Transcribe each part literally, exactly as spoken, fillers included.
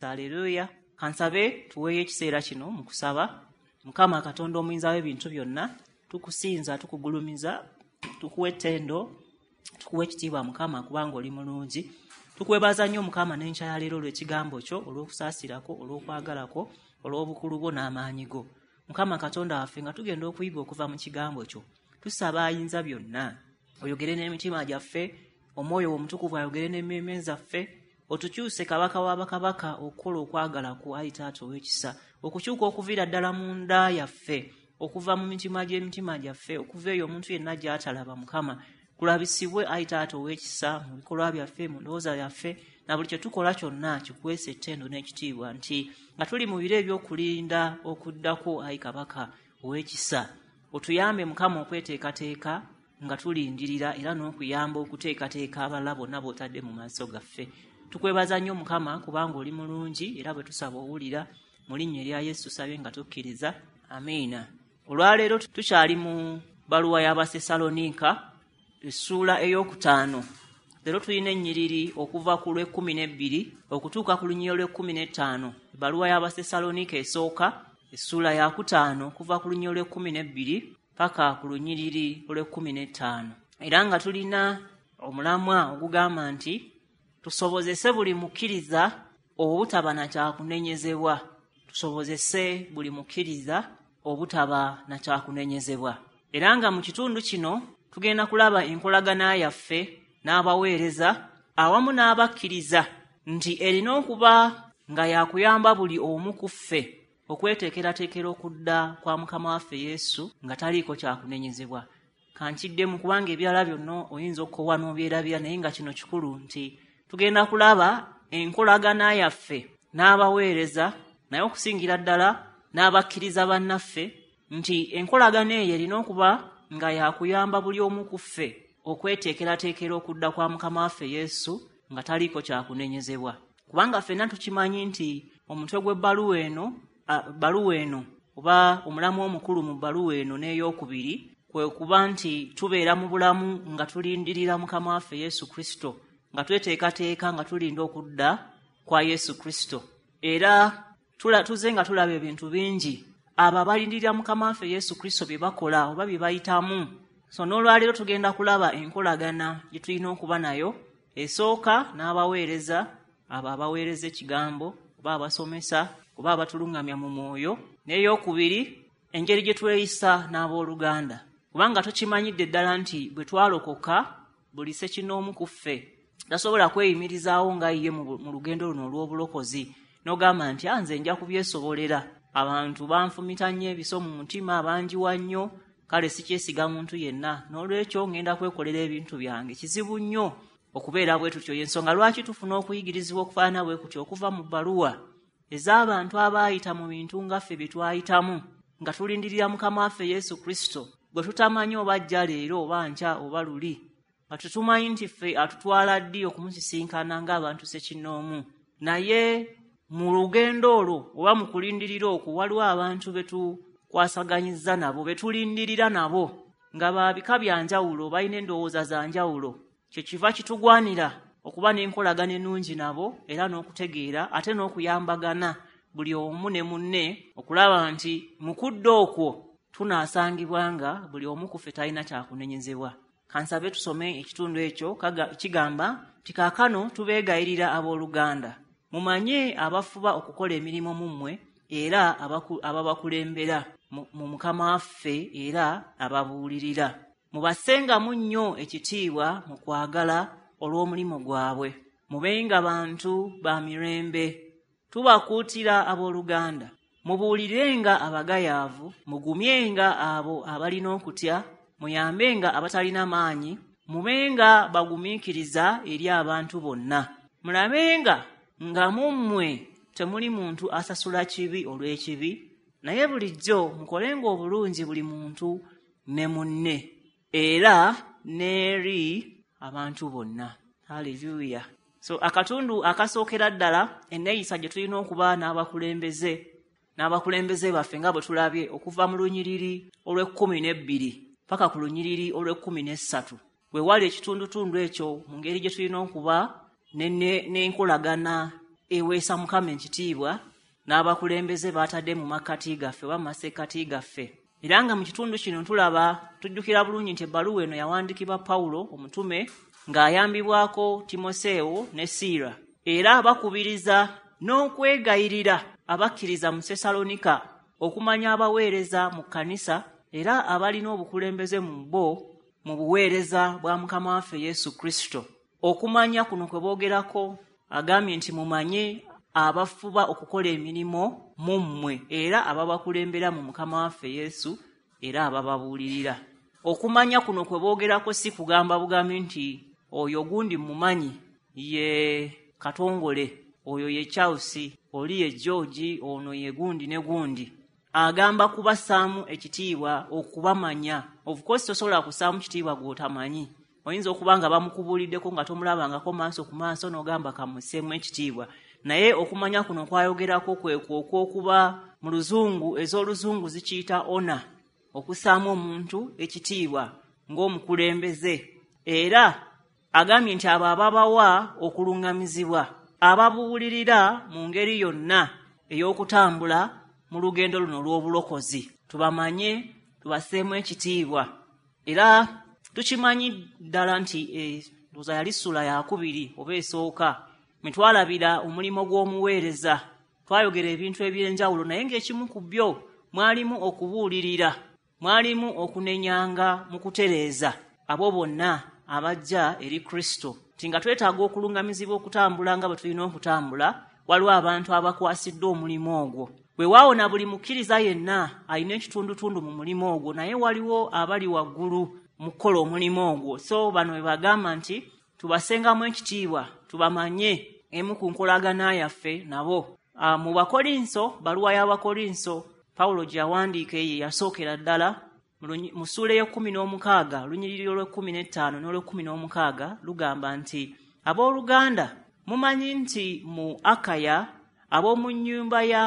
Haleluya. Kansabe tuweeyo ekiseera kino mu kusaba. Mukama Katonda omuyinza w'ebintu byonna, tukusinza, tukugulumiza, tukuwa ettendo, tukuwa ekitiibwa Mukama, kubanga oli mulungi. Tukwebaza nnyo Mukama n'enkya ya leero olw'ekigambo kyo, olw'okusaasirako, olw'okwagalako, olw'obukulu bwo n'amaanyi go. Mukama Katonda waffe, nga tugenda okuyiga okuva mu kigambo kyo, tusaba ayinza byonna oyogere n'emitima gyaffe, omwoyo omutukuvu ayogere n'emmeeme zaffe, otukyuse Kabaka w'abakabaka okukola okwagala kwo, ayi Taata ow'ekisa, okukyuka okuviira ddala mu nda yaffe, okuva mu mitima gy'emitima gyaffe, okuva eyo omuntu yenna gy'atalaba Mukama, kulabisibwe ayi Taata ow'ekisa mu bikolwa byaffe, mu ndowooza yaffe, na buli kye tukola kyonna kikuweesa ettendo n'ekitiibwa, nti nga tuli mu biro eby'okulinda okuddako ayi Kabaka ow'ekisa, otuyambe Mukama okweteekateeka nga tulindirira, era n'okuyamba okuteekateeka abalala bonna b'otadde mu maaso gaffe. Tukwebaza nnyo Mukama kubanga oli mulungi, era bwe tusaba owulira. Mu linnya erya Yesu tusabye nga tukkiriza, amiina. Olwaleero tukyali mu bbaluwa y'Abasessaloniika, essuula ey'okutaano. Leero tulina ennyiriri okuva ku lw'ekkumi n'ebbiri okutuuka ku lunyiriri olw'ekkumi n'ettaano. Ebbaluwa y'Abasessaloniika esooka, essuula yakutaano, okuva ku lunyiriri olw'ekkumi n'ebbiri paka ku lunyiriri olw'ekkumi n'ettaano. Era nga tulina omulamwa ogugamba nti tusobozese buli mukkiriza obutaba na kyakunenyezebwa. Tusobozese buli mukkiriza obutaba na kyakunenyezebwa. Era nga mu kitundu kino tugenda kulaba enkolagana yaffe n'abaweereza awamu n'abakkiriza, nti erina okuba nga yakuyamba buli omu ku ffe okweteekerateekera okudda kwa Mukama waffe Yesu nga taliiko kyakunenyezebwa. Kankiddemu kubanga ebirala byonna oyinza okukowa n'obyerabira, naye nga kino kikulu nti tugenda kulaba enkolagana yaffe n'abaweereza, naye okusingira ddala n'abakkiriza bannaffe, nti enkolagana eyo erina okuba nga yakuyamba buli omu ku ffe okweteekerateekera okudda kwa Mukama waffe Yesu nga taliiko kyakunenyezebwa. Kubanga ffenna tukimanyi nti omutwe gw'ebbaluwa eno, bbaluwa eno oba omulamu omukulu mu bbaluwa eno n'eyokubiri kwe kuba nti tubeera mu bulamu nga tulindirira Mukama waffe Yesu Kristo, nga tweteekateeka nga tulinda okudda kwa Yesu Kristo. Era tuze nga tulaba ebintu bingi abo abalindirira Mukama waffe Yesu Kristo bye bakola oba bye bayitamu. So n'olwaleero tugenda kulaba enkolagana gye tulina okuba nayo, esooka n'abaweereza, abo abaweereza ekigambo oba abasomesa oba abatulungamya mu mwoyo, n'eyokubiri engeri gye tweyisa n'abooluganda. Kubanga tukimanyidde ddala nti bwe twalokoka buli ssekinnoomu ku ffe tasobola kweyimirizaawo nga ye mu lugendo luno olw'obulokozi, n'ogamba nti nze nja kubyesobolera, abantu banfumita nnyo ebiso mu mutima, banjiwa nnyo, kale sikyesiga muntu yenna, n'olwekyo ngenda kwekolera ebintu byange. Kizibu nnyo okubeera bwe tutyo. Y'ensonga lwaki tufuna okuyigirizibwa okufaanana bwe kutyo okuva mu bbaluwa ez'abantu abaayita mu bintu nga ffe bye twayitamu, nga tulindirira Mukama waffe Yesu Kristo gwe tutamanyi oba ajja leero oba nkya oba luli, nga tetumanyi nti ffe atutwala ddi okumusisinkana ng'abantu ssekinnoomu. Naye mu lugendo olwo oba mu kulindirira okwo waliwo abantu be tukwasaganyizza nabo, be tulindirira nabo, nga ba bika bya njawulo, balina endowooza za njawulo. Kyekiva kitugwanira okuba n'enkolagana ennungi nabo, era n'okutegeera ate n'okuyambagana buli omu ne munne, okulaba nti mu kudda okwo tunaasangibwa nga buli omu ku ffe talina kyakunenyezebwa. Kansabe tusome ekitundu ekyo kigamba nti kaakano tubeegayirira abooluganda, mumanye abafuba okukola emirimu mu mmwe era ababakulembera mu Mukama waffe era ababuulirira. Mubassengamu nnyo ekitiibwa mu kwagala olw'omulimu gwabwe. Mubenga bantu ba mirembe. Tubakuutira abooluganda, mubuulirenga abagayaavu, mugumyenga abo abalina okutya, muyambenga abatalina maanyi, mubenga bagumiikiriza eri abantu bonna. Mulabenga nga mu mmwe temuli muntu asasula kibi olw'ekibi, naye bulijjo mukolenga obulungi buli muntu ne munne, era n'eri abantu bonna. Haleluya. So akatundu akasookera ddala enneeyisa gye tulina okuba n'abakulembeze n'abakulembeze baffe nga bwe tulabye okuva mu lunyiriri olw'ekkumi n'ebbiri paka ku lunyiriri olw'ekkumi n'essatu, we wali ekitundutundu ekyo mu ngeri gye tulina okuba n'enkolagana eweesa Mukama ekitiibwa n'abakulembeze baatadde mu makkati gaffe oba mu masekkati gaffe. Era nga mu kitundu kino tulaba tujjukira bulungi nti ebbaluwa eno yawandiikibwa Pawulo omutume ng'ayambibwako Timoseewo ne Siira, era bakubiriza n'okwegayirira abakkiriza mu Sessalonika okumanya abaweereza mu kkanisa era abalina obukulembeze mu bo mu buweereza bwa Mukama waffe Yesu Kristo. Okumanya kuno kwe boogerako agambye nti mumanye abafuba okukola emirimu mu mmwe era ababakulembera mu Mukama waffe Yesu era abababuulirira. Okumanya kuno kwe boogerako si kugamba bugambi nti oyo gundi mumanyi ye Katongole, oyo ye Charles, oli ye George, ono ye gundi ne gundi. Agamba kubassaamu ekitiibwa okubamanya. Of course tosobola kussaamu kitiibwa gw'otamanyi. Oyinza okuba nga bamukubuuliddeko nga tomulabangako maaso ku maaso n'ogamba kamusseemu ekitiibwa. Naye okumanya kuno kwayogerako kwekwo okw'okuba mu luzungu, ez'oluzungu zikiyita honor, okussaamu omuntu ekitiibwa ng'omukulembeze. Era agambye nti abo ababawa okuluŋŋamizibwa, ababuulirira mu ngeri yonna ey'okutambula mu lugendo luno olw'obulokozi, tubamanye, tubasseemu ekitiibwa. Era tukimanyi ddala nti ndowooza yali ssula yakubiri oba esooka mwe twalabira omulimu gw'omuweereza. Twayogera ebintu eby'enjawulo, naye ng'ekimu ku byo mwalimu okubuulirira, mwalimu okunenyanga mu kutereeza abo bonna abajja eri Kristo. Nti nga twetaaga okuluŋŋamizibwa okutambula nga bwe tulina okutambula, waliwo abantu abakwasiddwa omulimu ogwo. Weewaawo na buli mukkiriza yenna alina ekitundutundu mu mulimu ogwo, naye waliwo abali waggulu mu kukola omulimu ogwo. So bano bwe bagamba nti tubasengamu ekitiibwa, tubamanye emu ku nkolagana yaffe nabo. Mu Bakolinso, baluwa y'Abakolinso Pawulo gye yawandiika eyo yasookera ddala mu ssuula ey'ekkumi n'omukaaga, olunyiriri olw'ekkumi n'ettaano n'olw'ekkumi n'omukaaga lugamba nti abooluganda mumanyi nti mu Akaya ab'omu nnyumba ya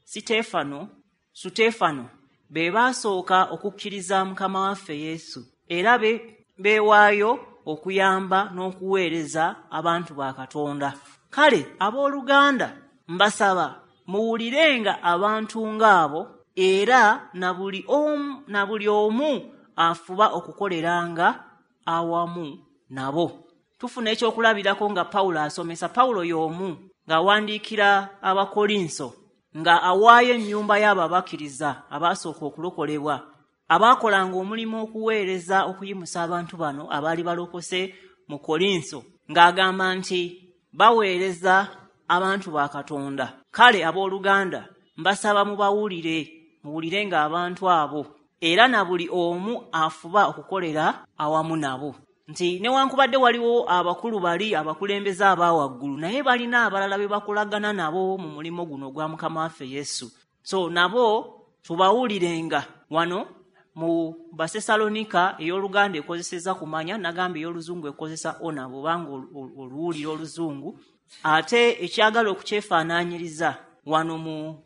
Siteefano Suteefano be baasooka okukkiriza Mukama waffe Yesu, era be beewaayo okuyamba n'okuweereza abantu ba Katonda. Kale abooluganda mbasaba muwulirenga abantu ng'abo, era na buli omu na buli omu afuba okukoleranga awamu nabo. Tufuna ekyokulabirako nga Pawulo asomesa. Pawulo y'omu ng'awandiikira Abakolinso nga awaayo ennyumba y'abo abakkiriza abaasooka okulokolebwa, abaakolanga omulimu okuweereza okuyimusa abantu bano abaali balokose mu Kolinso, ng'agamba nti baweereza abantu ba Katonda. Kale abooluganda mbasaba mubawulire, muwulirenga abantu abo, era na buli omu afuba okukolera awamu nabo. Nti newankubadde waliwo abakulu bali abakulembeze abawaggulu, naye balina abalala be bakolagana nabo mu mulimu guno ogwa Mukama waffe Yesu. So nabo tubawulirenga. Wano mu Basesalonika ey'oluganda ekozeseza kumanya, nagamba ey'oluzungu ekozesa ona bw'obanga oluwulira oluzungu. Ate ekyagala okukyefaanaanyiriza wano mu,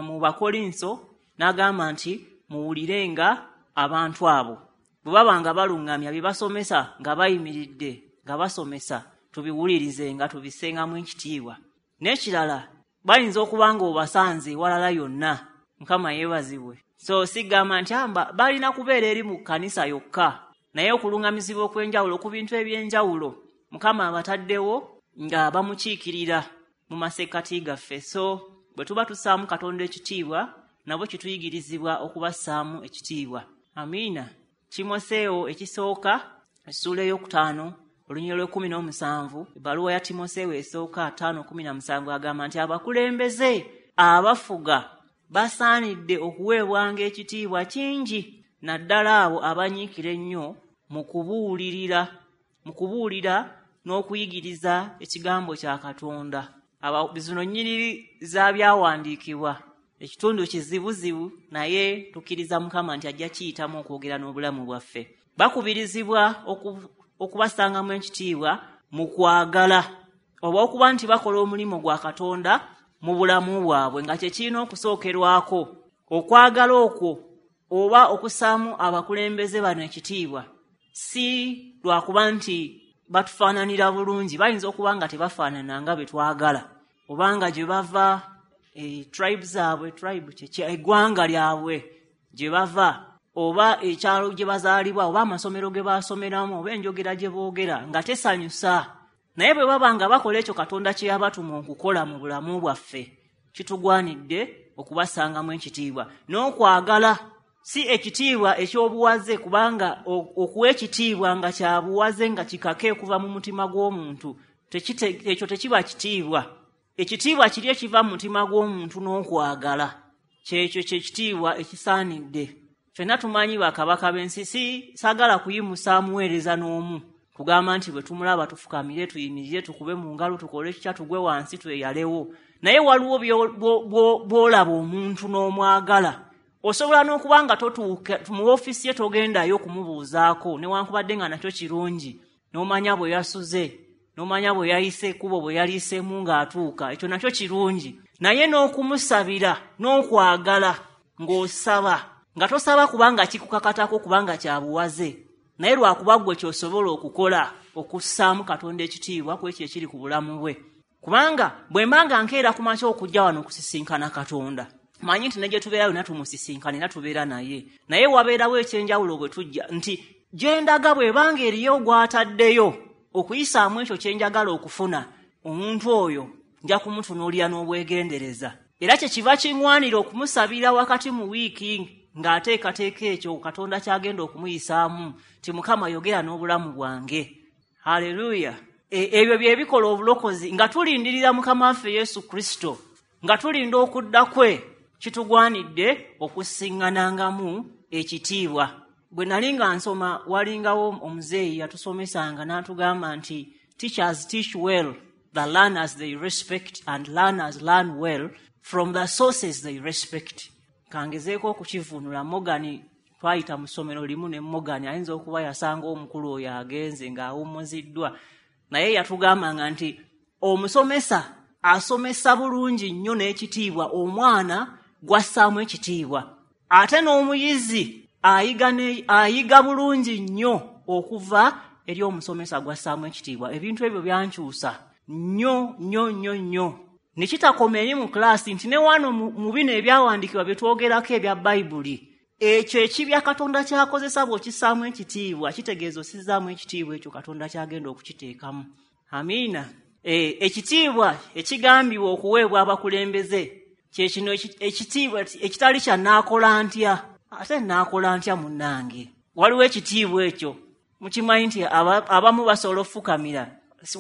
mu Bakolinso n'agamba nti muwulirenga abantu abo. Bwe baba nga baluŋŋamya bye basomesa nga bayimiridde nga basomesa, tubiwulirize nga tubisengamu ekitiibwa. N'ekirala bayinza okuba nga obasanze ewalala yonna, Mukama yeebazibwe. So sigamba nti amba balina kubeera eri mu kkanisa yokka, naye okuluŋŋamizibwa okw'enjawulo ku bintu eby'enjawulo Mukama abataddewo nga bamukiikirira mu masekkati gaffe. So bwe tuba tussaamu Katonda ekitiibwa, nabo kituyigirizibwa okubassaamu ekitiibwa. Amiina. Timoseewo ekisooka essuula ey'okutaano olunyiriri olw'ekkumi n'omusanvu, ebbaluwa ya Timoseewo esooka ttaano kkumi na musanvu agamba nti abakulembeze abafuga basaanidde okuweebwanga ekitiibwa kingi, naddala abo abanyiikira ennyo mu kubuulirira mu kubuulira n'okuyigiriza ekigambo kya Katonda. Zino nnyiriri za byawandiikibwa, ekitundu kizibuzibu, naye tukkiriza Mukama nti ajja kiyitamu okwogera n'obulamu bwaffe. Bakubirizibwa okubasangamu ekitiibwa mu kwagala, oba okuba nti bakola omulimu gwa Katonda mu bulamu bwabwe nga kye kirina okusookerwako. Okwagala okwo oba okussaamu abakulembeze bano ekitiibwa si lwakuba nti batufaananira bulungi, bayinza okuba nga tebafaanana nga bwe twagala obanga gye bava, e, tribe zaabwe, tribe kye eggwanga lyabwe gye bava, oba ekyalo gye bazaalibwa, oba amasomero ge basomeramu, oba enjogera gye boogera nga tesanyusa. Naye bwe baba nga bakola ekyo Katonda kye yabatuma okukola mu bulamu bwaffe, kitugwanidde okubasangamu ekitiibwa n'okwagala, si ekitiibwa eky'obuwaze, kubanga okuwa ekitiibwa nga kya buwaze nga kikake okuva mu mutima gw'omuntu, ekyo tekiba kitiibwa. Ekitiibwa kiri ekiva mu mutima gw'omuntu n'okwagala, kyekyo kyekitiibwa ekisaanidde. Ffenna tumanyi bakabaka b'ensi, si saagala kuyimusa muweereza n'omu kugamba nti bwe tumulaba tufukamire, tuyimirire, tukube mu ngalo, tukole kitya, tugwe wansi, tweyalewo. Naye waliwo bw'olaba omuntu n'omwagala, osobola n'okuba nga totuuka mu ofiisi ye, togendayo okumubuuzaako, newankubadde nga nakyo kirungi, n'omanya bwe yasuze, n'omanya bwe yayise ekkubo, bwe yaliiseemu ng'atuuka, ekyo nakyo kirungi. Naye n'okumusabira n'okwagala ng'osaba, nga tosaba kubanga kikukakatako, kubanga kya buwaze, naye lwakuba ggwe ky'osobola okukola okussaamu Katonda ekitiibwa ku ekyo ekiri ku bulamu bwe. Kubanga bwe mba nga nkeera ku makya okujja wano okusisinkana Katonda, manyi nti ne gye tubeera yonna tumusisinkana era tubeera naye, naye wabeerawo ekyenjawulo bwe tujja nti gye ndaga bw'ebanga eriyo gw'ataddeyo okuyisaamu ekyo kye njagala okufuna, omuntu oyo nja kumutunuulira n'obwegendereza. Era kye kiva kiŋŋwanira okumusabira wakati mu wiiki ng'ateekateeka ekyo Katonda ky'agenda okumuyisaamu, nti Mukama yogera n'obulamu bwange. Haleluya! Ebyo bye bikola obulokozi. Nga tulindirira Mukama waffe Yesu Kristo, nga tulinda okudda kwe, kitugwanidde okusiŋŋanangamu ekitiibwa. Bwe nali nga nsoma, walingawo omuzeeyi yatusomesanga n'atugamba nti teachers teach well the learners they respect, and learners learn well from the sources they respect. Kangezeeko okukivuunula. Morgan, twayita mu ssomero limu ne Morgan, ayinza okuba yasanga omukulu oyo agenze ng'awummuziddwa, naye yatugambanga nti omusomesa asomesa bulungi nnyo n'ekitiibwa omwana gw'assaamu ekitiibwa, ate n'omuyizi ayiga ayiga bulungi nnyo okuva eri omusomesa gw'assaamu ekitiibwa. Ebintu ebyo byankyusa nnyo nnyo nnyo nnyo, ne kitakoma eri mu kilaasi, nti ne wano mu bino ebyawandiikibwa bye twogerako ebya Bayibuli, ekyo ekibya Katonda ky'akozesa bw'okissaamu ekitiibwa kitegeeza ossizaamu ekitiibwa ekyo Katonda ky'agenda okukiteekamu. Amiina. E, ekitiibwa ekigambibwa okuweebwa abakulembeze kye kino ekitiibwa ekitali kya naakola ntya, ate naakola ntya munnange. Waliwo ekitiibwa ekyo, mukimanyi nti abamu basobola okufukamira,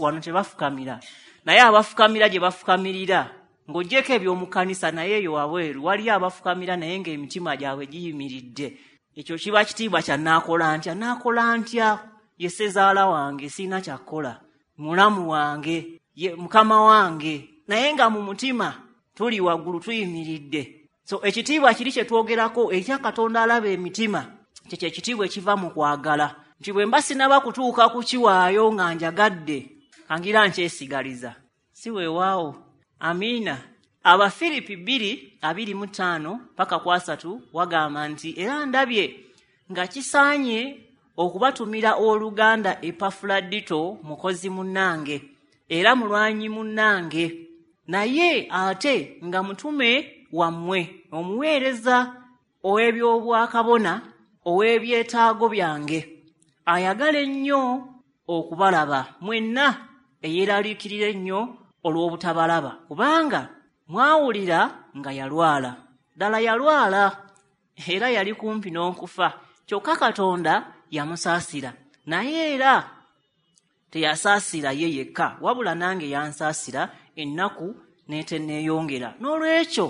wano tebafukamira, naye abafukamira gye bafukamirira ng'oggyeko eby'omu kkanisa, naye eyo wabweru waliyo abafukamira naye ng'emitima gyabwe giyimiridde. Ekyo kiba kitiibwa kya naakola ntya, naakola ntya, ye ssezaala wange, sirina kyakkola, mulamu wange, ye mukama wange, naye nga mu mutima tuli waggulu tuyimiridde. So ekitiibwa kiri kye twogerako ekya Katonda alaba emitima, kyekyo ekitiibwa ekiva mu kwagala, nti bwe mba sinaba kutuuka kukiwaayo nga njagadde, kangira nkyesigaliza, si weewaawo. Amiina. Abafiripi bbiri abiri mu ttaano paka ku asatu wagamba nti era ndabye nga kisaanye okubatumira owooluganda Epafuladito, mukozi munnange era mulwanyi munnange, naye ate nga mutume wammwe, omuweereza ow'ebyobwakabona ow'ebyetaago byange, ayagala ennyo okubalaba mwenna, eyeeraliikirira ennyo olw'obutabalaba, kubanga mwawulira nga yalwala. Ddala yalwala era yali kumpi n'okufa, kyokka Katonda yamusaasira, naye era teyasaasira ye yekka, wabula nange yansaasira ennaku n'etenneeyongera. N'olwekyo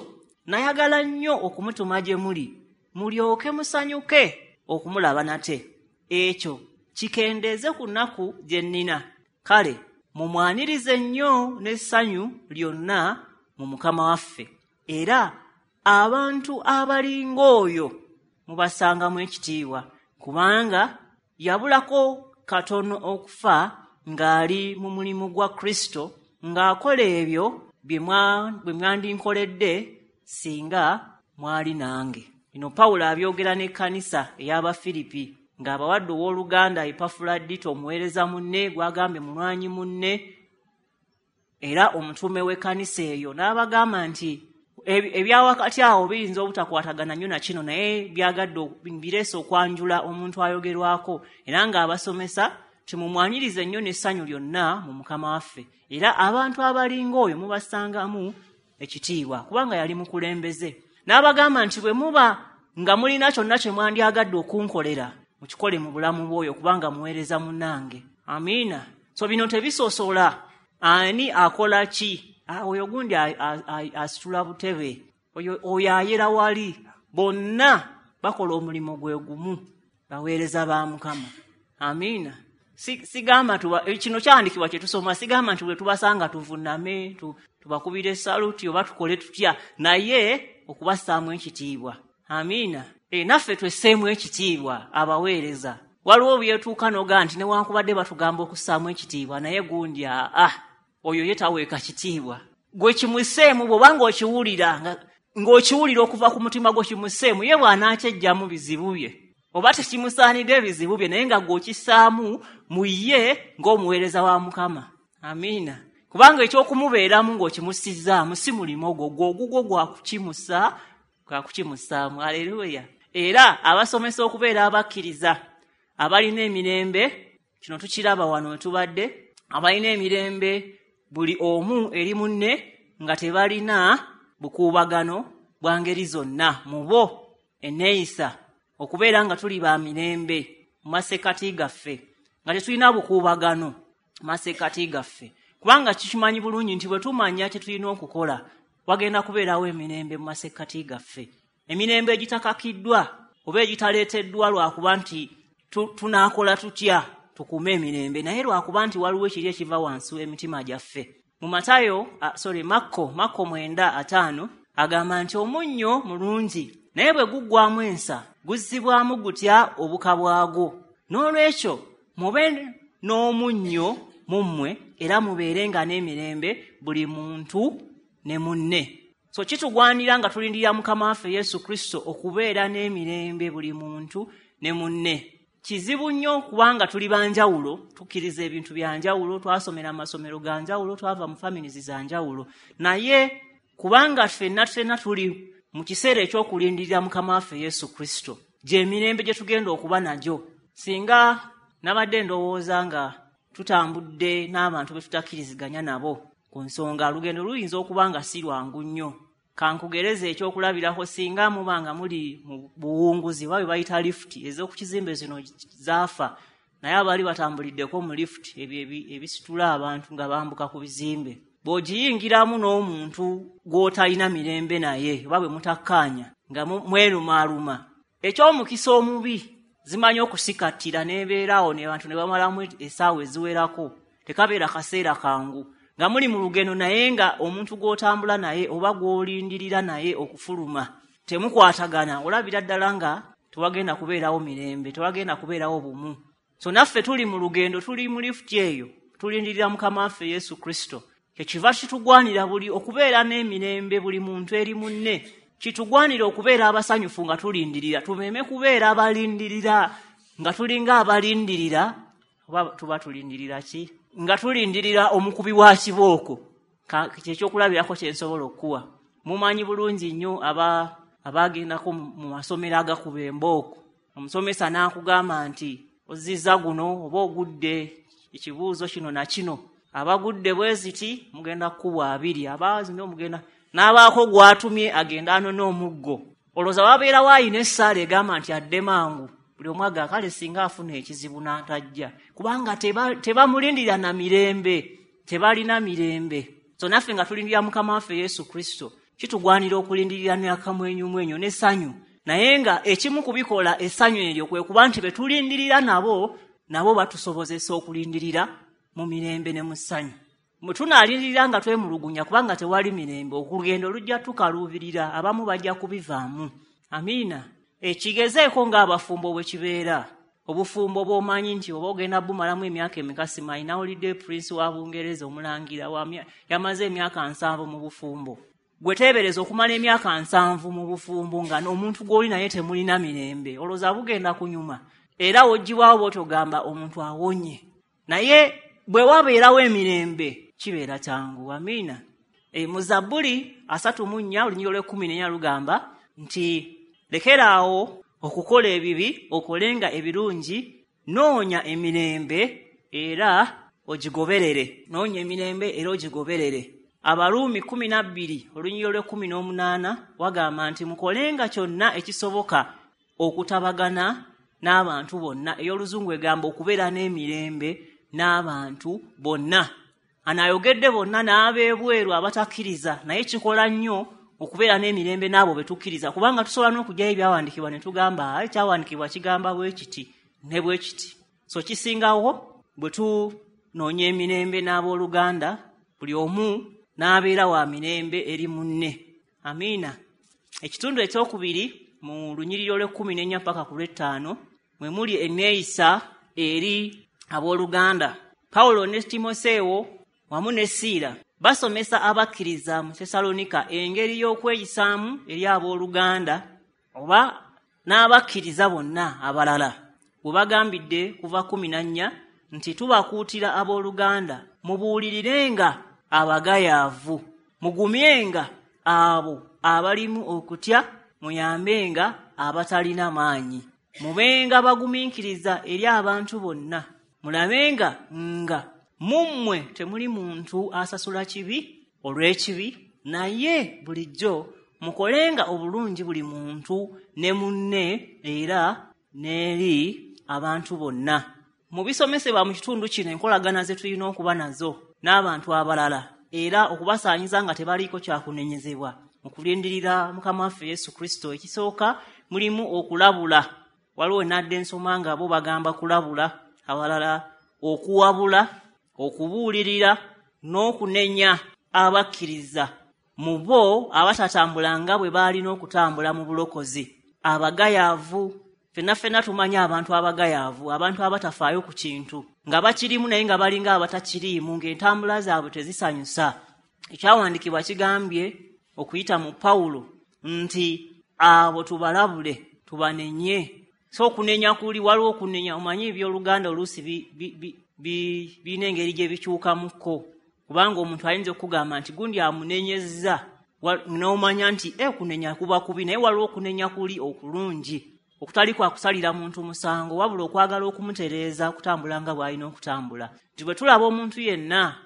nayagala nnyo okumutuma gye muli, mulyoke musanyuke okumulaba nate. Ekyo kikendeeze ku nnaku gye nnina. Kale mumwanirize nnyo n'essanyu lyonna mu Mukama waffe, era abantu abalinga oyo mubasangamu ekitiibwa, kubanga yabulako katono okufa ng'ali mu mulimu gwa Kristo, ng'akola ebyo bye mwandinkoledde singa mwali nange. Bino Pawulo abyogera n'ekkanisa ey'Abafiripi ng'abawadde owooluganda Epafuladito, omuweereza munne gw'agambye mulwanyi munne, era omutume w'ekkanisa eyo, n'abagamba nti ebyawakati awo biyinza obutakwatagana nnyo na kino, naye byagadde bireese okwanjula omuntu ayogerwako, era ng'abasomesa timumwanyirize nnyo n'essanyu lyonna mu Mukama waffe. Era abantu abalinga oyo mubasangamu ekitiibwa, kubanga yali mukulembeze. N'abagamba nti bwe muba nga mulina kyonna kye mwandyagadde okunkolera, mukikole mu bulamu bw'oyo, kubanga muweereza munnange. Amiina. So bino tebisosola ani akola ki. Ah, oyo gundi asitula butebe, oyo oyo ayera wali, bonna bakola omulimu gwe gumu, baweereza ba Mukama. Amiina. Sigamba tuba kino kyandikibwa kye tusoma, sigamba nti bwe tubasanga tuvuname, tubakubire saluti oba tukole tutya, naye okubassaamu ekitiibwa. Amiina. E, naffe twesseemu ekitiibwa abaweereza. Waliwo byetuuka n'ogaa nti newankubadde batugamba okussaamu ekitiibwa, naye gundi aa oyo ye taweeka kitiibwa. Gwe kimusseemu bw'obanga okiwulira, ng'okiwulira okuva ku mutima gwo kimusseemu, ye bw'anaakyejjamu bizibu bye oba tekimusaanidde ebizibu bye, naye nga gw'okissaamu mu ye ng'omuweereza wa Mukama. Amiina. Kubanga eky'okumubeeramu ng'okimussizaamu si mulimu ogwo, gwe ogugwo gwa kukimusa, gwa kukimussaamu. Aleluya. Era abasomesa okubeera abakkiriza abalina emirembe, kino tukiraba wano we tubadde, abalina emirembe buli omu eri munne nga tebalina bukuubagano bwa ngeri zonna mu bo enneeyisa, okubeera nga tuli ba mirembe mu masekkati gaffe, nga tetulina bukuubagano mu masekkati gaffe, kubanga kikimanyi bulungi nti bwe tumanya kye tulina okukola wagenda kubeerawo emirembe mu masekkati gaffe, emirembe egitakakiddwa oba egitaleeteddwa lwakuba nti tunaakola tutya tukuume emirembe, naye lwakuba nti waliwo ekiri ekiva wansi w'emitima gyaffe. Mu Matayo, uh, sorry, Makko, Makko mwenda ataano agamba nti omunnyo mulungi, naye bwe guggwamu ensa guzzibwamu gutya obuka bwagwo? N'olwekyo mube n'omunnyo mu mmwe, era mubeerenga n'emirembe buli muntu ne munne. So kitugwanira nga tulindirira Mukama waffe Yesu Kristo okubeera n'emirembe buli muntu ne munne. Kizibu nnyo kubanga tuli banjawulo, tukkiriza ebintu bya njawulo, twasomera amasomero ga njawulo, twava mu families za njawulo, naye kubanga ffenna ffenna tuli mu kiseera eky'okulindirira Mukama waffe Yesu Kristo, gy'emirembe gye tugenda okuba nagyo. Singa nabadde ndowooza nga tutambudde n'abantu be tutakkiriziganya nabo ku nsonga, olugendo luyinza okuba nga si lwangu nnyo. Kankugereze ekyokulabirako, singa muba nga muli mu buwunguzi oba bwe bayita lifuti ez'oku kizimbe zino zaafa, naye abaali batambuliddeko mu lifuti ebyo ebisitula abantu nga bambuka ku bizimbe, bw'ogiyingiramu n'omuntu gw'otalina mirembe naye oba bwe mutakkaanya nga mwerumaaluma, eky'omukisa omubi zimanyi okusikattira n'ebeeraawo ne bantu ne bamalamu essaawa eziwerako, tekabeera kaseera kangu nga muli mu lugendo, naye nga omuntu gw'otambula naye oba gw'olindirira naye okufuluma temukwatagana, olabira ddala nga tewagenda kubeerawo mirembe, tewagenda kubeerawo bumu. So naffe tuli mu lugendo, tuli mu lifuti eyo, tulindirira Mukama waffe Yesu Kristo. Kyekiva kitugwanira buli okubeera n'emirembe buli muntu eri munne, kitugwanira okubeera abasanyufu nga tulindirira, tumeme kubeera abalindirira nga tulinga abalindirira oba tuba tulindirira ki? Nga tulindirira omukubi wa kibooko. Kyekyokulabirako kye nsobola okuwa. Mumanyi bulungi nnyo aba abagendako mu masomero agakuba embooko, omusomesa n'akugamba nti ozizza guno oba ogudde ekibuuzo kino na kino, abagudde bwe ziti mugenda kukubwa abiri, abazino mugenda n'abaako gw'atumye agenda anone omuggo. Olowooza wabeerawo ayina essaala egamba nti adde mangu, buli omu aga kale singa afuna ekizibu n'atajja, kubanga tebamulindirira na mirembe, tebalina mirembe. So naffe nga tulindirira Mukama waffe Yesu Kristo, kitugwanira okulindirira n'akamwenyumwenyu n'essanyu, naye nga ekimu ku bikola essanyu eryo kwe kuba nti be tulindirira nabo, nabo batusobozesa okulindirira mu mirembe ne mu ssanyu. Bwe tunaalindirira nga twemulugunya kubanga tewali mirembe, olugendo lujja tukaluubirira, abamu bajja kubivaamu. Amiina. Ekigezeeko ng'abafumbo bwe kibeera, obufumbo bw'omanyi nti oba ogenda bumalamu emyaka emeka simanyi. Nawulidde Prince wa Bungereza omulangira yamaze emyaka nsanvu mu bufumbo. Gwe teebereza okumala emyaka nsanvu mu bufumbo nga n'omuntu gw'oli naye temulina mirembe, olowooza bugenda kunyuma, era woggyibwawo bw'otogamba omuntu awonye. Naye bwe wabeerawo emirembe Kibeera kyangu. Amiina. E, mu Zabbuli asatu mu nnya olunyiriri olw'ekkumi n'ennya lugamba nti lekeraawo okukola ebibi, okolenga ebirungi, noonya emirembe era ogigoberere. Noonya emirembe era ogigoberere. Abaruumi kkumi na bbiri olunyiriri olw'ekkumi n'omunaana wagamba nti mukolenga kyonna ekisoboka okutabagana n'abantu bonna. Ey'oluzungu egamba okubeera n'emirembe n'abantu bonna. Anayogedde bonna n'abeebweru abatakkiriza, naye kikola nnyo okubeera n'emirembe n'abo be tukkiriza, kubanga tusobola n'okugyayo ebyawandiikibwa ne tugamba ekyawandiikibwa kigamba bwe kiti ne bwe kiti. So kisingawo bwe tunoonya emirembe n'abooluganda, buli omu n'abeera wa mirembe eri munne. Amiina. Ekitundu ekyokubiri mu lunyiriri olw'ekkumi n'ennya paka ku lw'ettaano mwe muli enneeyisa eri abooluganda. Pawulo ne Timoseewo wamu ne Siira basomesa abakkiriza mu Tesalonika engeri y'okweyisaamu eri abooluganda oba n'abakkiriza bonna abalala. Bwe bagambidde kuva kkumi na nnya nti tubakuutira abooluganda mubuulirirenga abagayaavu, mugumyenga abo abalimu okutya, muyambenga abatalina maanyi, mubenga bagumiikiriza eri abantu bonna, mulabenga nga mu mmwe temuli muntu asasula kibi olw'ekibi, naye bulijjo mukolenga obulungi buli muntu ne munne era n'eri abantu bonna. Mu bisomesebwa mu kitundu kino enkolagana ze tulina okuba nazo n'abantu abalala era okubasaanyiza nga tebaliiko kyakunenyezebwa mu kulindirira Mukama waffe Yesu Kristo. Ekisooka mulimu okulabula. Waliwo nadde ensoma nga bo bagamba kulabula, abalala okuwabula, okubuulirira n'okunenya abakkiriza mu bo abatatambulanga bwe baalina okutambula mu bulokozi. Abagayaavu, ffenna ffenna tumanyi abantu abagayaavu, abantu abatafaayo ku kintu nga bakirimu naye nga balinga abatakiriimu, ng'entambula zaabwe tezisanyusa. Ekyawandiikibwa kigambye okuyita mu Pawulo nti abo tubalabule, tubanenye. So okunenya kuli, waliwo okunenya, omanyi ebyoluganda oluusi birina engeri gye bikyukamukko, kubanga omuntu ayinza okugamba nti gundi amunenyezza, n'omanya nti e kunenya kuba kubi, naye waliwo okunenya kuli okulungi okutali kwa kusalira muntu musango, wabula okwagala okumutereeza okutambula nga bw'alina okutambula. Nti bwe tulaba omuntu yenna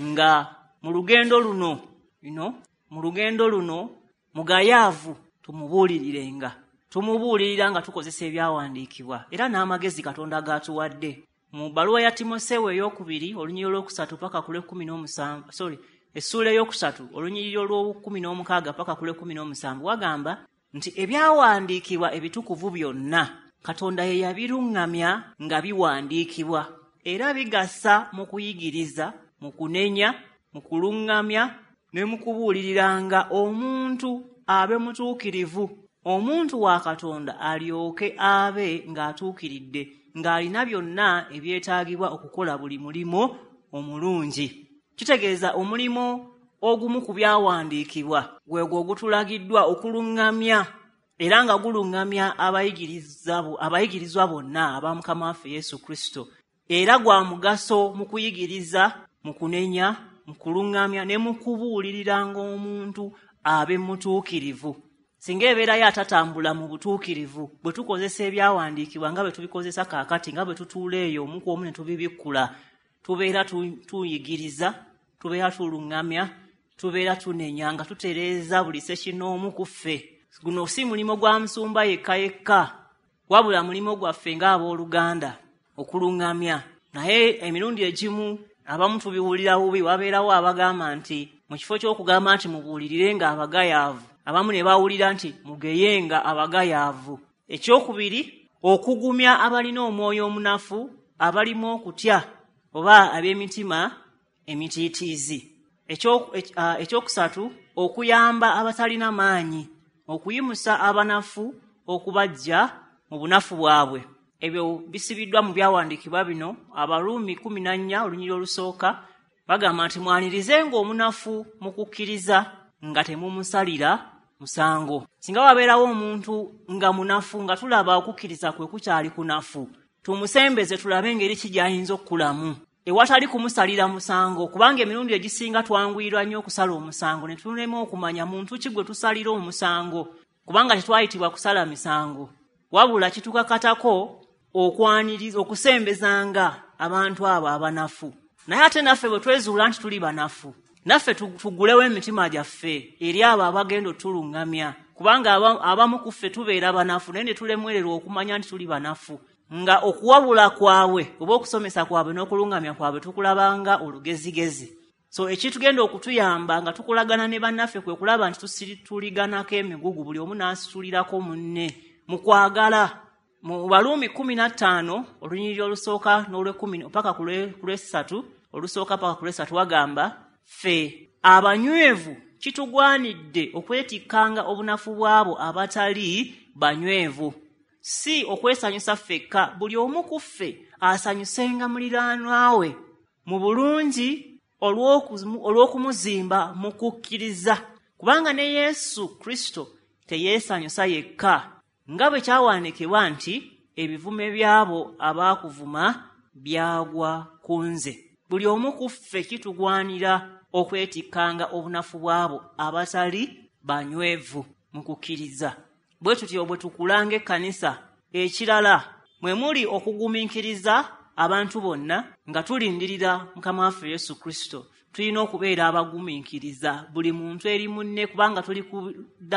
nga mu lugendo luno, you know, mu lugendo luno mugayaavu, tumubuulirirenga. Tumubuulirira nga tukozesa ebyawandiikibwa era n'amagezi Katonda g'atuwadde. Mu bbaluwa ya Timoseewo ey'okubiri olunyiriri olwokusatu paka ku lw'ekkumi n'omusanvu, sorry, essuula ey'okusatu olunyiriri olw'okkumi n'omukaaga paka ku lw'ekkumi n'omusanvu wagamba nti ebyawandiikibwa ebitukuvu byonna Katonda ye yabiruŋŋamya nga biwandiikibwa, era bigasa mu kuyigiriza, mu kunenya, mu kuluŋŋamya ne mu kubuuliriranga omuntu abe mutuukirivu, omuntu wa Katonda alyoke abe ng'atuukiridde, ng'alina byonna ebyetaagibwa okukola buli mulimu omulungi. Kitegeeza omulimu ogumu ku byawandiikibwa gwegwo ogutulagiddwa okuluŋŋamya era nga guluŋŋamya abayigirizwa bonna aba Mukama waffe Yesu Kristo, era gwa mugaso mu kuyigiriza, mu kunenya, mu kuluŋŋamya ne mu kubuuliriranga omuntu abe mutuukirivu. Singa ebeerayo atatambula mu butuukirivu, bwe tukozesa ebyawandiikibwa nga bwe tubikozesa kaakati, nga bwe tutuula eyo omu ku omu ne tubibikkula, tubeera tuyigiriza, tubeera tuluŋŋamya, tubeera tunenya nga tutereeza buli ssekinnoomu ku ffe. Guno si mulimu gwa musumba yekka yekka, wabula mulimu gwaffe ng'abooluganda okuluŋŋamya. Naye emirundi egimu abamu tubiwulira bubi, wabeerawo abagamba nti mu kifo ky'okugamba nti mubuulirire nga abagayaavu, abamu ne bawulira nti mugeyenga abagayaavu. Ekyokubiri, okugumya abalina omwoyo omunafu, abalimu okutya oba ab'emitima emitiitiizi. Ekyokusatu, okuyamba abatalina maanyi, okuyimusa abanafu okubaggya mu bunafu bwabwe. Ebyo bisibiddwa mu byawandiikibwa bino. Abaruumi kkumi na nnya olunyiriri olusooka bagamba nti mwanirizenga omunafu mu kukkiriza nga temumusalira musango. Singa wabeerawo omuntu nga munafu, nga tulaba okukkiriza kwe kukyali kunafu, tumusembeze tulabe engeri ki gy'ayinza okukulamu. Ewatali kumusalira musango, kubanga emirundi egisinga twanguyirwa nnyo okusala omusango ne tulema okumanya muntu ki gwe tusalira omusango, kubanga tetwayitibwa kusala misango, wabula kitukakatako okwaniriza okusembezanga abantu abo abanafu. Naye ate naffe bwe twezuula nti tuli banafu, naffe tugulewo emitima gyaffe eri abo abagenda otuluŋŋamya, kubanga abamu ku ffe tubeera banafu naye ne tulemwererwa okumanya nti tuli banafu, nga okuwabula kwabwe oba okusomesa kwabwe n'okuluŋŋamya kwabwe tukulabanga olugezigezi. So ekitugenda okutuyamba nga tukulagana ne bannaffe kwe kulaba nti tusituliganako emigugu, buli omu n'asitulirako munne mu kwagala. Mu Baluumi kkumi na ttaano olunyiriri olusooka n'olwekumi paka ku lwesatu, olusooka paka ku lwesatu wagamba, ffe abanywevu kitugwanidde okwetikkanga obunafu bw'abo abatali banywevu, si okwesanyusa ffekka, buli omu ku ffe asanyusenga muliraanwa we mu bulungi olw'okumuzimba mu kukkiriza, kubanga ne Yesu Kristo teyeesanyusa yekka, nga bwe kyawandiikibwa nti ebivume by'abo abaakuvuma byagwa ku nze. Buli omu ku ffe kitugwanira okwetikkanga obunafu bw'abo abatali banywevu mu kukkiriza. Bwe tutyo bwe tukulanga ekkanisa. Ekirala mwe muli okugumiikiriza abantu bonna nga tulindirira Mukama waffe Yesu Kristo. Tulina okubeera abagumiikiriza buli muntu eri munne, kubanga tuli ku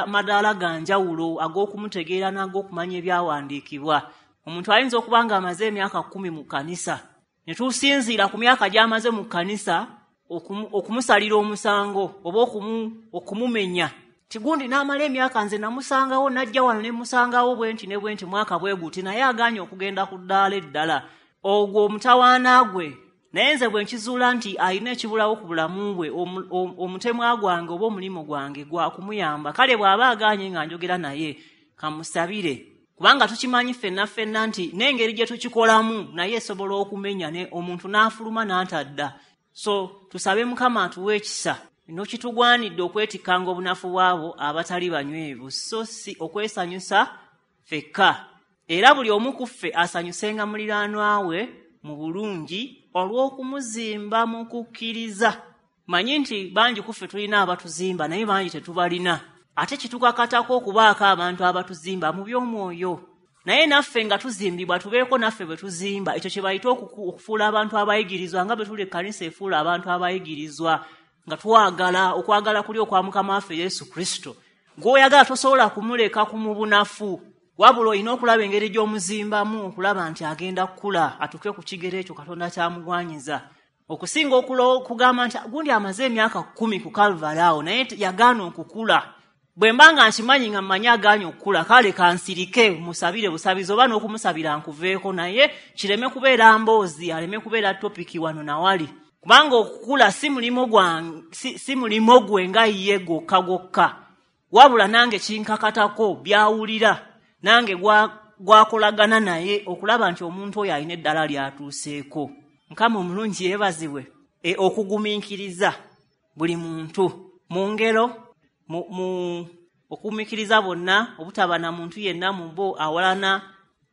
madaala ga njawulo ag'okumutegeera n'ag'okumanya ebyawandiikibwa. Omuntu ayinza okuba nga amaze emyaka kkumi mu kkanisa, ne tusinziira ku myaka gy'amaze mu kkanisa okumusalira omusango oba okumumenya. Tigundi n'amala emyaka nze namusangawo, najja wano ne musangawo bwe nti ne bwe nti mwaka bwe guti, naye agaanye okugenda ku ddaala eddala. Ogwo omutawaana gwe. Naye nze bwe nkizuula nti alina ekibulawo ku bulamu bwe, omutemwa gwange oba omulimu gwange gwa kumuyamba. Kale bw'aba agaanye nga njogera naye, kamusabire, kubanga tukimanyi ffenna ffenna nti n'engeri gye tukikolamu naye esobola okumenya ne omuntu n'afuluma n'atadda. So tusabe Mukama atuwe ekisa. Ino kitugwanidde okwetikkanga obunafu bw'abo abatali banywevu, so si okwesanyusa ffekka. Era buli omu ku ffe asanyusenga muliraanwa we mu bulungi olw'okumuzimba mu kukkiriza. Manyi nti bangi ku ffe tulina abatuzimba, naye bangi tetubalina. Ate kitukakatako okubaako abantu abatuzimba mu by'omwoyo, naye naffe nga tuzimbibwa tubeeko naffe bwe tuzimba. Ekyo kye bayita okufuula abantu abayigirizwa, nga bwe tuli ekkanisa efuula abantu abayigirizwa, nga twagala okwagala kuli okwa Mukama waffe Yesu Kristo. Gw'oyagala tosobola kumuleka ku mu bunafu, wabula olina okulaba engeri gy'omuzimbamu okulaba nti agenda kukula atuuke ku kigero ekyo Katonda kyamugwanyiza, okusinga okugamba nti gundi amaze emyaka kkumi ku Kalvari awo naye yagaana okukula. Bwe mba nga nkimanyi nga mmanyi agaanye okukula, kale kansirike musabire busabizi oba n'okumusabira nkuveeko, naye kireme kubeera mboozi, aleme kubeera topiki wano nawali, kubanga okukula si mulimu gwange, si, si mulimu gwe nga ye gwokka gwokka, wabula nange kinkakatako byawulira nange gwakolagana naye okulaba nti omuntu oyo alina eddala lyatuuseeko. Mukama omulungi yeebazibwe. E, okugumiikiriza buli muntu mu ngero mu, mu okugumiikiriza bonna, obutaba na muntu yenna mu bo awalana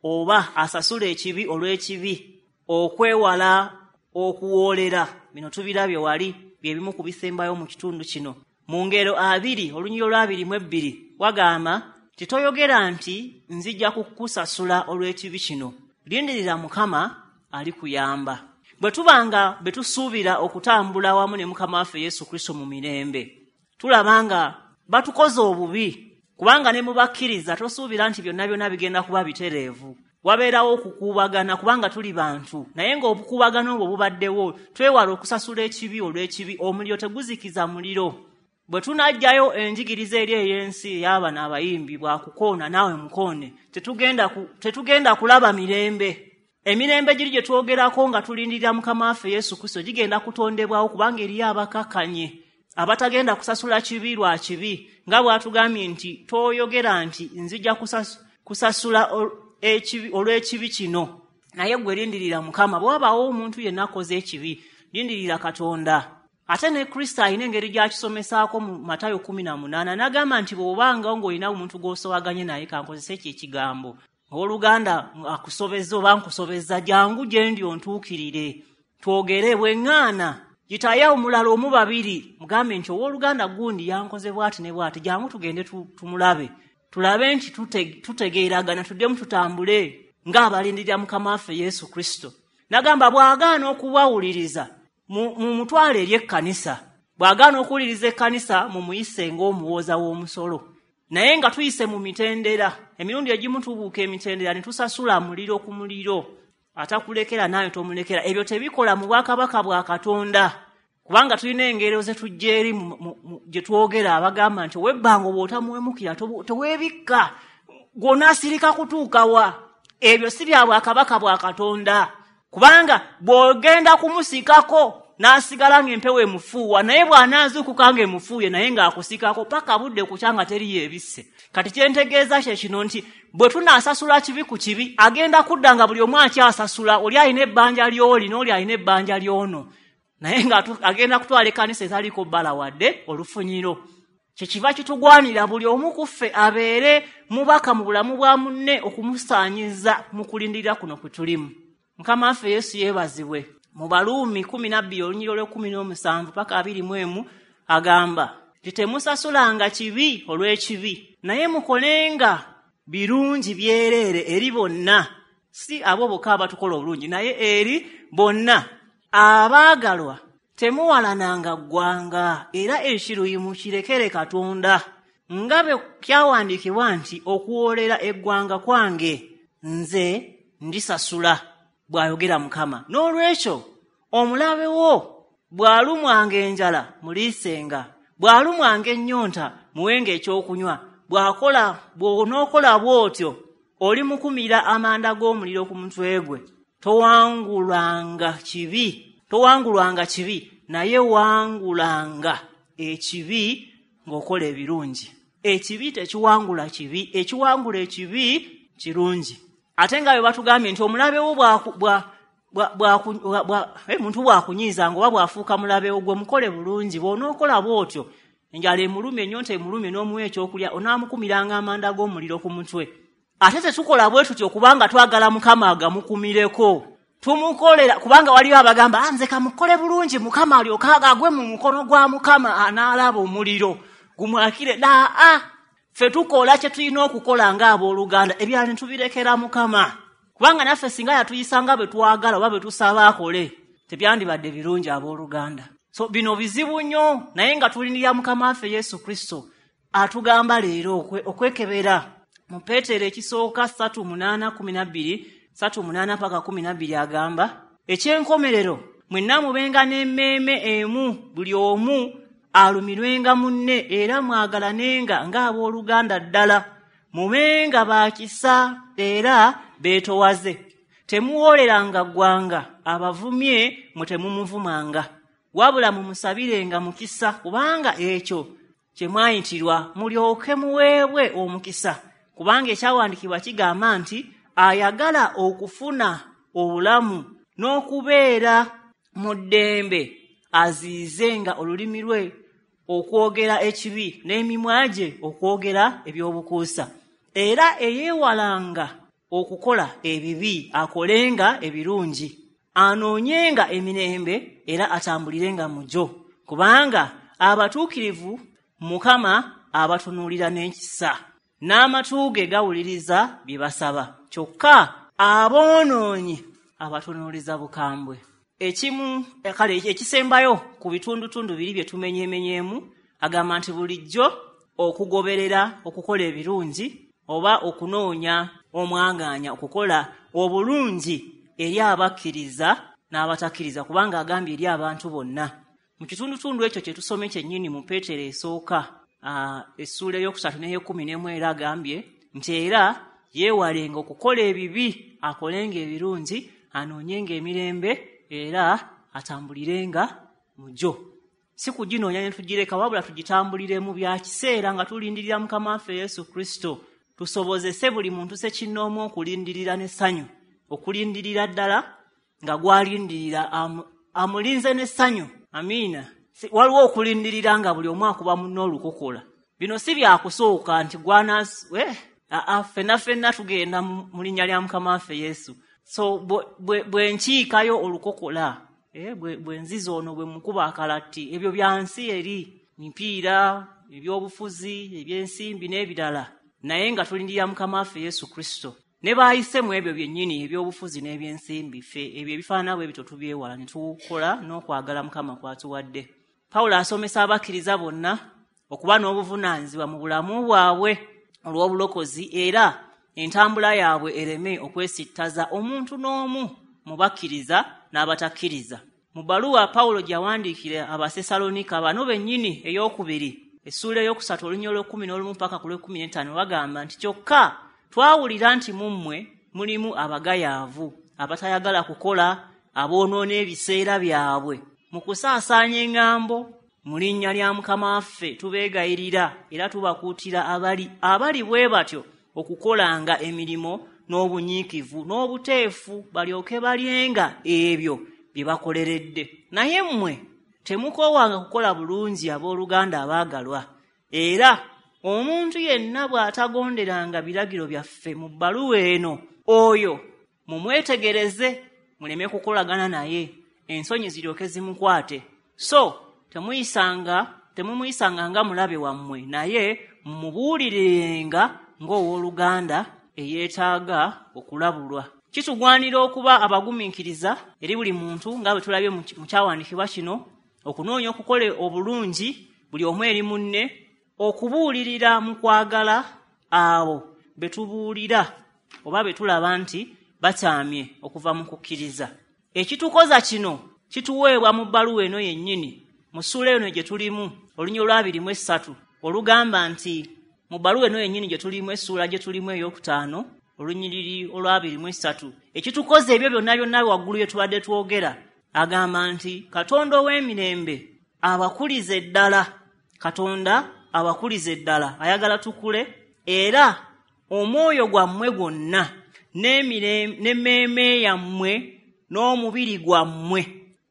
oba asasula ekibi olw'ekibi, okwewala okuwoolera. Bino tubirabye wali, bye bimu ku bisembayo mu kitundu kino. Mu ngero abiri olunyiriri olw'abiri mu ebbiri wagamba titoyogera nti nzija kukusasula olw'ekibi kino, lindirira Mukama alikuyamba. Bwe tubanga bwe tusuubira okutambula wamu ne Mukama waffe Yesu Kristo mu mirembe, tulaba nga batukoze obubi, kubanga ne mubakkiriza tosuubira nti byonna byonna bigenda kuba bitereevu. Wabeerawo okukuubagana kubanga tuli bantu, naye ng'obukuubagano obwo bubaddewo, twewala okusasula ekibi olw'ekibi. Omuliro teguzikiza muliro. Bwe tunajjayo enjigiriza eri ey'ensi ey'abano abayimbi bwakukoona naawe mukoone, tetugenda ku, tetugenda kulaba mirembe. Emirembe giri gye twogerako nga tulindirira Mukama waffe Yesu Kristo gigenda kutondebwawo, kubanga eriyo abakakkanye abatagenda kusasula kibi lwa kibi, nga bw'atugambye nti toyogera nti nzija kusasula ekibi olw'ekibi kino, naye gwe lindirira Mukama. Bwe wabaawo omuntu yenna akoze ekibi, lindirira Katonda. Ate ne Kristo alina engeri gy'akisomesaako mu Matayo kkumi na munaana, n'agamba nti bw'obanga ng'olina omuntu gw'osowaganye naye, kankozese ekyo ekigambo, owooluganda akusobezza oba nkusobezza, jangu gye ndi ontuukirire. Twogere bweŋŋaana, yitayo omulala omu babiri, mugambe nti owooluganda gundi yankoze bw'ati ne bw'ati, jangu tugende tumulabe, tulabe nti tutegeeragana, tuddemu tutambule ng'abalindirira Mukama waffe Yesu Kristo. Nagamba bw'agaana okubawuliriza mumutwale eri ekkanisa, bw'agaana okuwuliriza ekkanisa mumuyise ng'omuwooza w'omusolo. Naye nga tuyise mu mitendera, emirundi egimu tubuuka emitendera ne tusasula muliro ku muliro, atakulekera naye tomulekera. Ebyo tebikola mu bwakabaka bwa Katonda, kubanga tulina engero ze tujja eri gye twogera abagamba nti ow'ebbanga bw'otamuwemukira teweebikka, gw'onaasirika kutuuka wa? Ebyo si bya bwakabaka bwa Katonda, kubanga bw'ogenda kumusikako n'asigala ng'empewo emufuuwa, naye bw'anaazuukuka ng'emufuuye naye ng'akusikako paka budde kukya nga teriyo ebisse. Kati kyentegeeza kye kino nti bwe tunaasasula kibi ku kibi, agenda kudda nga buli omu akyasasula, oli alina ebbanja ly'oli n'oli alina ebbanja ly'ono, naye nga agenda kutwala ekkanisa etaliiko bbala wadde olufunyiro. Kyekiva kitugwanira buli omu ku ffe abeere mubaka mu bulamu bwa munne okumusaanyiza mu kulindirira kuno kwe tulimu. Mukama waffe Yesu yeebazibwe. Mu Baluumi kumi na bbiri olunyiriri olw'ekkumi n'omusanvu paka abiri mu emu agamba nti temusasulanga kibi olw'ekibi, naye mukolenga birungi byereere eri bonna, si abo bokka abatukola obulungi, naye eri bonna. Abaagalwa, temuwalananga ggwanga, era ekiruyi mukirekere Katonda, nga bwe kyawandiikibwa nti okuwoolera eggwanga kwange nze ndisasula, bw'ayogera Mukama. N'olwekyo omulabe wo bw'alumwanga enjala muliisenga, bw'alumwanga ennyonta muwenga ekyokunywa, bw'akola bw'onookola bw'otyo olimukumira amanda g'omuliro ku mutwe gwe. Towangulwanga kibi, towangulwanga kibi, naye wangulanga ekibi ng'okola ebirungi. Ekibi tekiwangula kibi, ekiwangula ekibi kirungi. Ate nga bwe batugambye nti omulabe wo muntu bw'akunyiizanga oba bw'afuuka mulabe wo, gwe mukole bulungi. Bw'onookola bw'otyo enjala emulumye, ennyonta emulumye, n'omuwa ekyokulya, onaamukumiranga amanda g'omuliro ku mutwe. Ate tetukola bwe tutyo kubanga twagala Mukama agamukumireko, tumukolera kubanga waliwo abagamba nze kamukole bulungi Mukama alyoke agwe mu mukono gwa Mukama anaalaba omuliro gumwakire. Aa, ffe tukola kye tulina okukola ng'abooluganda, ebirala ne tubirekera Mukama, kubanga naffe singa yatuyisanga bwe twagala oba bwe tusaba akole tebyandibadde birungi abooluganda. So bino bizibu nnyo, naye nga tulindirira Mukama waffe Yesu Kristo atugamba leero okwekebera. Mu Peetero ekisooka ssatu munaana kumi na bbiri ssatu munaana paka kumi na bbiri agamba ekyenkomerero mwenna mubenga n'emmeeme emu, buli omu alumirwenga munne, era mwagalanenga ng'abooluganda ddala, mubenga ba kisa era beetowaze. Temuwooleranga ggwanga, abavumye mwe temumuvumanga, wabula mumusabirenga mukisa, kubanga ekyo kye mwayitirwa, mulyoke muweebwe omukisa. Kubanga ekyawandiikibwa kigamba nti ayagala okufuna obulamu n'okubeera mu ddembe aziizenga olulimi lwe okwogera ekibi n'emimwa gye okwogera ebyobukuusa. Era eyeewalanga okukola ebibi akolenga ebirungi, anoonyenga emirembe era atambulirenga mu gyo, kubanga abatuukirivu Mukama abatunuulira n'ekisa, n'amatu ge gawuliriza bye basaba, kyokka aboonoonyi abatunuuliza bukambwe. Ekimu kale ekisembayo ku bitundutundu biri bye tumenyeemenyeemu, agamba nti bulijjo okugoberera okukola ebirungi oba okunoonya omwagaanya okukola obulungi eri abakkiriza n'abatakkiriza, kubanga agambye eri abantu bonna. Mu kitundutundu ekyo kye tusomye kyennyini mu Peetero esooka essuula ey'okusatu n'ey'ekkumi n'emu era agambye nti era yeewalenga okukola ebibi, akolenga ebirungi, anoonyenga emirembe era atambulirenga mu gyo. Si kuginoonya ne tugireka, wabula tugitambuliremu bya kiseera nga tulindirira Mukama waffe Yesu Kristo, tusobozese buli muntu ssekinnoomu okulindirira n'essanyu, okulindirira ddala nga gwalindirira amulinze n'essanyu. Amiina. Waliwo okulindirira nga buli omu akuba munne olukokola. Bino si byakusooka nti gwana eh, aa ffenna ffenna tugenda mu linnya lya Mukama waffe Yesu. So bwe nkiikayo olukokola eh, bwe, bwe nziza ono bwe mukuba akalatti, ebyo bya nsi eri, mipiira, ebyobufuzi, ebyensimbi n'ebirala, naye nga tulindirira Mukama waffe Yesu Kristo. Ne baayise mu ebyo byennyini ebyobufuzi n'ebyensimbi, ffe ebyo ebifaanana bwe bityo tubyewala ne tukola n'okwagala Mukama kw'atuwadde. Pawulo asomesa abakkiriza bonna okuba n'obuvunaanyizibwa mu bulamu bwabwe olw'obulokozi, era entambula yaabwe ereme okwesittaza omuntu n'omu mu bakkiriza n'abatakkiriza. Mu bbaluwa Pawulo gye yawandiikira Abasesalonika bano bennyini ey'okubiri, essuula ey'okusatu olunyiriri olw'ekkumi n'olumu paka ku lw'ekkumi n'ettaano, bagamba nti kyokka twawulira nti mu mmwe mulimu abagayaavu, abatayagala kukola, aboonoona ebiseera byabwe mu kusaasaanya eŋŋambo. Mu linnya lya Mukama waffe tubeegayirira era tubakuutira abali abali bwe batyo okukolanga emirimu n'obunyiikivu n'obuteefu, balyoke balyenga ebyo bye bakoleredde. Naye mmwe temukoowanga kukola bulungi, abooluganda abaagalwa. Era omuntu yenna bw'atagonderanga biragiro byaffe mu bbaluwa eno, oyo mumwetegereze muleme kukolagana naye, ensonyi ziryoke zimukwate. So temuyisanga temumuyisanga nga mulabe wammwe, naye mumubuulirirenga ng'owooluganda eyeetaaga okulabulwa. Kitugwanira okuba abagumiikiriza eri buli muntu, nga bwe tulabye mu kyawandiikibwa kino, okunoonya okukola obulungi buli omu eri munne, okubuulirira mu kwagala abo be tubuulira oba be tulaba nti bakyamye okuva mu kukkiriza. Ekitukoza kino kituweebwa mu bbaluwa eno yennyini, mu ssuula eno gye tulimu, olunyiriri olw'abiri mu essatu, olugamba nti mu bbaluwa eno yennyini gye tulimu, essuula gye tulimu ey'okutaano, olunyiriri olw'abiri mu essatu, ekitukoza ebyo byonna byonna waggulu bye tubadde twogera, agamba nti Katonda ow'emirembe abakulize ddala. Katonda abakulize ddala, ayagala tukule, era omwoyo gwammwe gwonna n'emmeeme yammwe n'omubiri gwammwe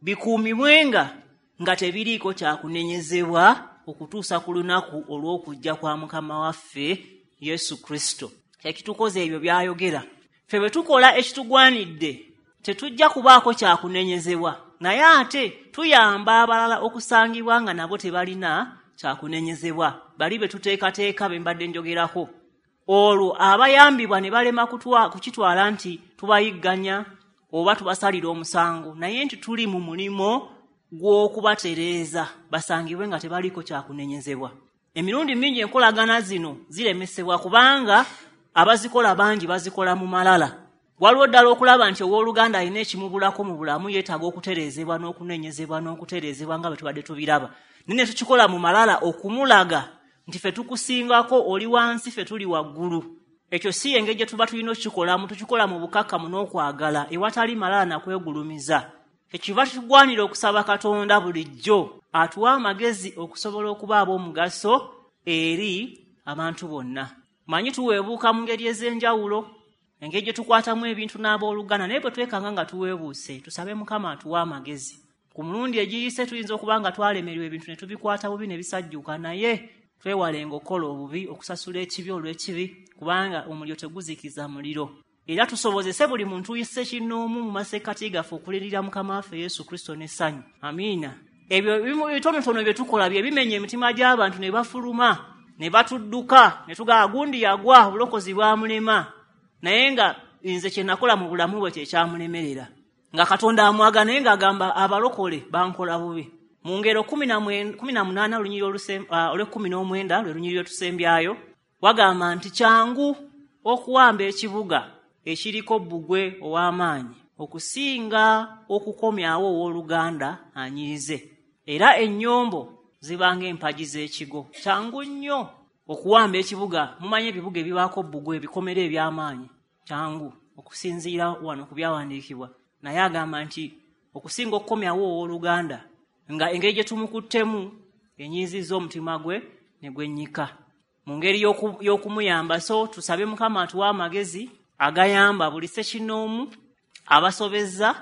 bikuumibwenga nga tebiriiko kyakunenyezebwa okutuusa ku lunaku olw'okujja kwa Mukama waffe Yesu Kristo. Ekitukoza ebyo by'ayogera. Ffe bwe tukola ekitugwanidde tetujja kubaako kyakunenyezebwa, naye ate tuyamba abalala okusangibwa nga nabo tebalina kyakunenyezebwa, bali be tuteekateeka be mbadde njogerako. Olwo abayambibwa ne balema kukitwala nti tubayigganya oba tubasalira omusango, naye nti tuli mu mulimo gw'okubatereeza basangibwe nga tebaliiko kyakunenyezebwa. Emirundi mingi enkolagana zino ziremesebwa kubanga abazikola bangi bazikola mu malala. Waliwo ddala okulaba nti owooluganda alina ekimubulako mu bulamu, yeetaaga okutereezebwa n'okunenyezebwa n'okutereezebwa nga bwe tubadde tubiraba, naye ne tukikola mu malala okumulaga nti ffe tukusingako, oli wansi, ffe tuli waggulu. Ekyo si engeri gye tuba tulina okukikolamu. Tukikola mu bukakkamu n'okwagala, ewatali malala na kwegulumiza. Ekiva kitugwanira okusaba Katonda bulijjo atuwa amagezi okusobola okuba ab'omugaso eri abantu bonna. Manyi tuweebuuka mu ngeri ez'enjawulo, engeri gye tukwatamu ebintu n'abooluganda, naye bwe twekanga nga tuweebuuse, tusabe Mukama atuwe amagezi. Ku mulundi egiyise tuyinza okuba nga twalemererwa ebintu ne tubikwata bubi ne bisajjuka, naye twewalenga okukola obubi, okusasula ekibi olw'ekibi, kubanga omuliro teguzikiza muliro. Era tusobozese buli muntu yisse kinnoomu mu masekkati gaffe okulirira Mukama waffe Yesu Kristo n'essanyu. Amiina. Ebyo ebitonotono bye tukola bye bimenya emitima gy'abantu ne bafuluma ne batudduka ne tugamba gundi yagwa, obulokozi bwamulema, naye nga nze kye nakola mu bulamu bwe kyekyamulemerera, nga Katonda amwaga, naye ng'agamba abalokole bankola bubi. Mu ngero kumi na munaana olunyiriri olw'ekkumi n'omwenda lwe lunyiriri lwetusembyayo, wagamba nti kyangu okuwamba ekibuga ekiriko bbugwe ow'amaanyi okusinga okukomyawo owooluganda anyiize, era ennyombo zibanga empagi z'ekigo. Kyangu nnyo okuwamba ekibuga. Mumanyi ebibuga ebibaako bbugwe, ebikomera eby'amaanyi, kyangu okusinziira wano ku byawandiikibwa, naye agamba nti okusinga okukomyawo owooluganda nga engeri gye tumukuttemu enyiizizza omutima gwe ne gwennyika mu ngeri y'okumuyamba. So tusabe Mukama atuwe amagezi agayamba buli ssekinnoomu, abasobezza,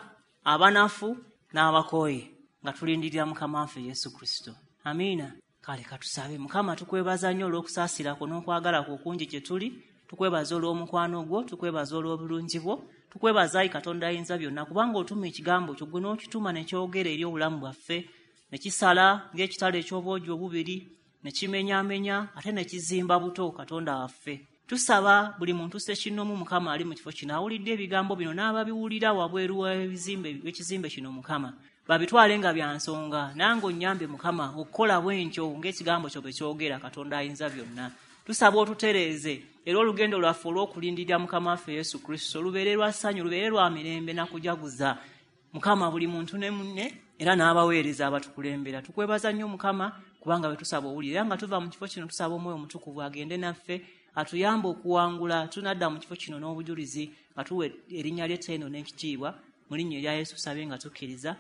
abanafu n'abakooye, nga tulindirira Mukama waffe Yesu Kristo. Amiina. Kale katusabe. Mukama, tukwebaza nnyo olw'okusaasira kwo n'okwagala kwo okungi gye tuli. Tukwebaza olw'omukwano gwo, tukwebaza olw'obulungi bwo, Tukwebaza ayi Katonda ayinza byonna, kubanga otuma ekigambo kyo, gwe n'okituma ne kyogera eri obulamu bwaffe, ne kisala ng'ekitala eky'obwogi obubiri, ne kimenyaamenya ate ne kizimba buto. Katonda waffe, tusaba buli muntu ssekinnoomu Mukama ali mu kifo kino awulidde ebigambo bino n'ababiwulira wabweru w'ekizimbe kino Mukama, babitwale nga bya nsonga. Nange onnyambe Mukama okukola bwentyo ng'ekigambo kyo bwe kyogera. Katonda ayinza byonna, tusaba otutereeze era olugendo lwaffe olw'okulindirira Mukama waffe Yesu Kristo lubeere lwa ssanyu, lubeere lwa mirembe na kujaguza Mukama, buli muntu ne munne era n'abaweereza abatukulembera. Tukwebaza nnyo Mukama, kubanga bwe tusaba owulira. Era nga tuva mu kifo kino, tusaba Omwoyo Omutukuvu agende naffe atuyambe okuwangula. Tunadda mu kifo kino n'obujulizi nga tuwa erinnya ly'ettendo n'ekitiibwa. Mu linnya erya Yesu tusabye nga tukkiriza,